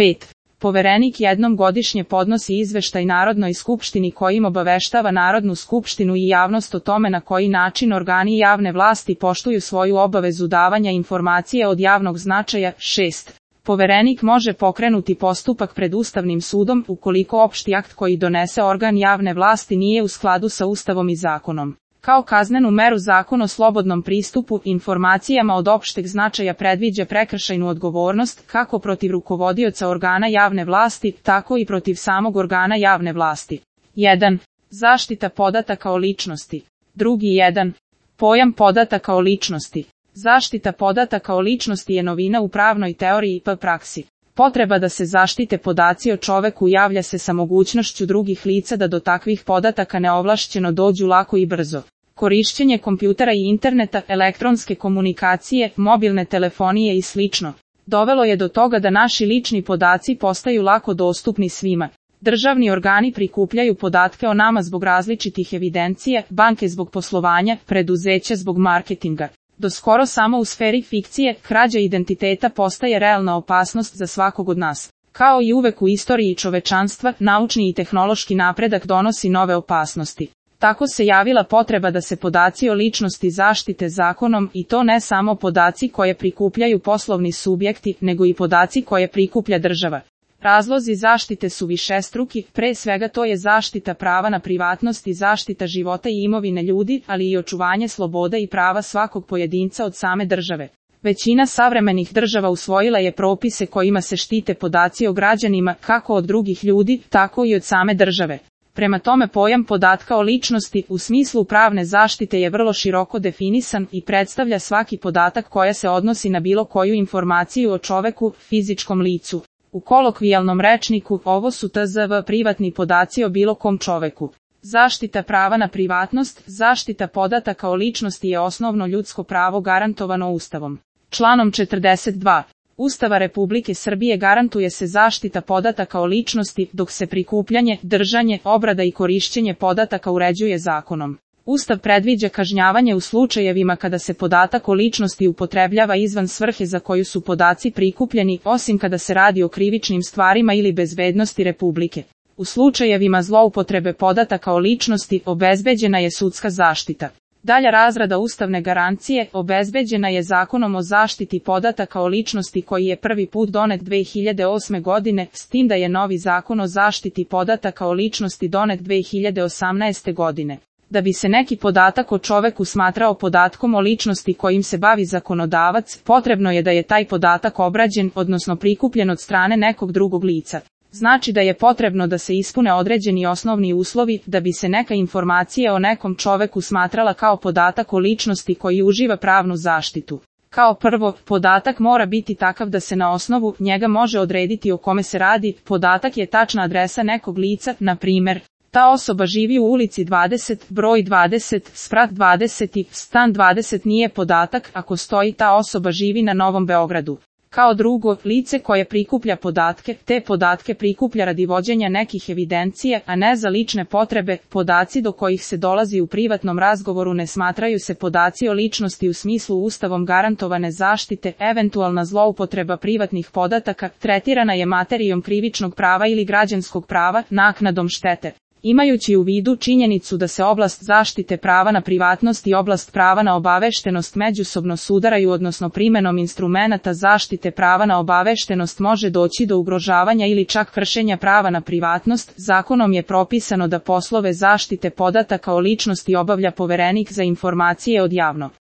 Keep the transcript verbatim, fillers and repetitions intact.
pet. Poverenik jednom godišnje podnosi izveštaj Narodnoj skupštini kojim obaveštava Narodnu skupštinu i javnost o tome na koji način organi javne vlasti poštuju svoju obavezu davanja informacije od javnog značaja. šest. Poverenik može pokrenuti postupak pred Ustavnim sudom ukoliko opšti akt koji donese organ javne vlasti nije u skladu sa Ustavom i zakonom. Kao kaznenu meru Zakon o slobodnom pristupu informacijama od opšteg značaja predviđa prekršajnu odgovornost kako protiv rukovodioca organa javne vlasti, tako i protiv samog organa javne vlasti. jedan. Zaštita podataka o ličnosti. Drugi jedan. Pojam podataka o ličnosti. Zaštita podataka o ličnosti je novina u pravnoj teoriji i praksi. Potreba da se zaštite podaci o čoveku javlja se sa mogućnošću drugih lica da do takvih podataka neovlašćeno dođu lako i brzo. Korišćenje kompjutera i interneta, elektronske komunikacije, mobilne telefonije i slično dovelo je do toga da naši lični podaci postaju lako dostupni svima. Državni organi prikupljaju podatke o nama zbog različitih evidencija, banke zbog poslovanja, preduzeća zbog marketinga. Do skoro samo u sferi fikcije, krađa identiteta postaje realna opasnost za svakog od nas. Kao i uvek u istoriji čovečanstva, naučni i tehnološki napredak donosi nove opasnosti. Tako se javila potreba da se podaci o ličnosti zaštite zakonom i to ne samo podaci koje prikupljaju poslovni subjekti, nego i podaci koje prikuplja država. Razlozi zaštite su višestruki, pre svega to je zaštita prava na privatnost i zaštita života i imovine ljudi, ali i očuvanje sloboda i prava svakog pojedinca od same države. Većina savremenih država usvojila je propise kojima se štite podaci o građanima, kako od drugih ljudi, tako i od same države. Prema tome pojam podatka o ličnosti u smislu pravne zaštite je vrlo široko definisan i predstavlja svaki podatak koja se odnosi na bilo koju informaciju o čoveku, fizičkom licu. U kolokvijalnom rečniku ovo su T Z V privatni podaci o bilo kom čoveku. Zaštita prava na privatnost, zaštita podataka o ličnosti je osnovno ljudsko pravo garantovano Ustavom. Članom četrdeset dva. Ustava Republike Srbije garantuje se zaštita podataka o ličnosti, dok se prikupljanje, držanje, obrada i korišćenje podataka uređuje zakonom. Ustav predviđa kažnjavanje u slučajevima kada se podatak o ličnosti upotrebljava izvan svrhe za koju su podaci prikupljeni, osim kada se radi o krivičnim stvarima ili bezbednosti Republike. U slučajevima zloupotrebe podataka o ličnosti obezbeđena je sudska zaštita. Dalja razrada ustavne garancije obezbeđena je Zakonom o zaštiti podataka o ličnosti koji je prvi put donet dve hiljade osme godine, s tim da je novi Zakon o zaštiti podataka o ličnosti donet dve hiljade osamnaeste godine. Da bi se neki podatak o čoveku smatrao podatkom o ličnosti kojim se bavi zakonodavac, potrebno je da je taj podatak obrađen, odnosno prikupljen od strane nekog drugog lica. Znači da je potrebno da se ispune određeni osnovni uslovi da bi se neka informacija o nekom čoveku smatrala kao podatak o ličnosti koji uživa pravnu zaštitu. Kao prvo, podatak mora biti takav da se na osnovu njega može odrediti o kome se radi. Podatak je tačna adresa nekog lica, na primjer, ta osoba živi u ulici dvadeset, broj dvadeset, sprat dvadeset i stan dvadeset nije podatak ako stoji ta osoba živi na Novom Beogradu. Kao drugo, lice koje prikuplja podatke, te podatke prikuplja radi vođenja nekih evidencija, a ne za lične potrebe. Podaci do kojih se dolazi u privatnom razgovoru ne smatraju se podaci o ličnosti u smislu Ustavom garantovane zaštite. Eventualna zloupotreba privatnih podataka tretirana je materijom krivičnog prava ili građanskog prava, naknadom štete. Imajući u vidu činjenicu da se oblast zaštite prava na privatnost i oblast prava na obaveštenost međusobno sudaraju, odnosno primenom instrumenata zaštite prava na obaveštenost može doći do ugrožavanja ili čak kršenja prava na privatnost, zakonom je propisano da poslove zaštite podataka o ličnosti obavlja Poverenik za informacije od javnog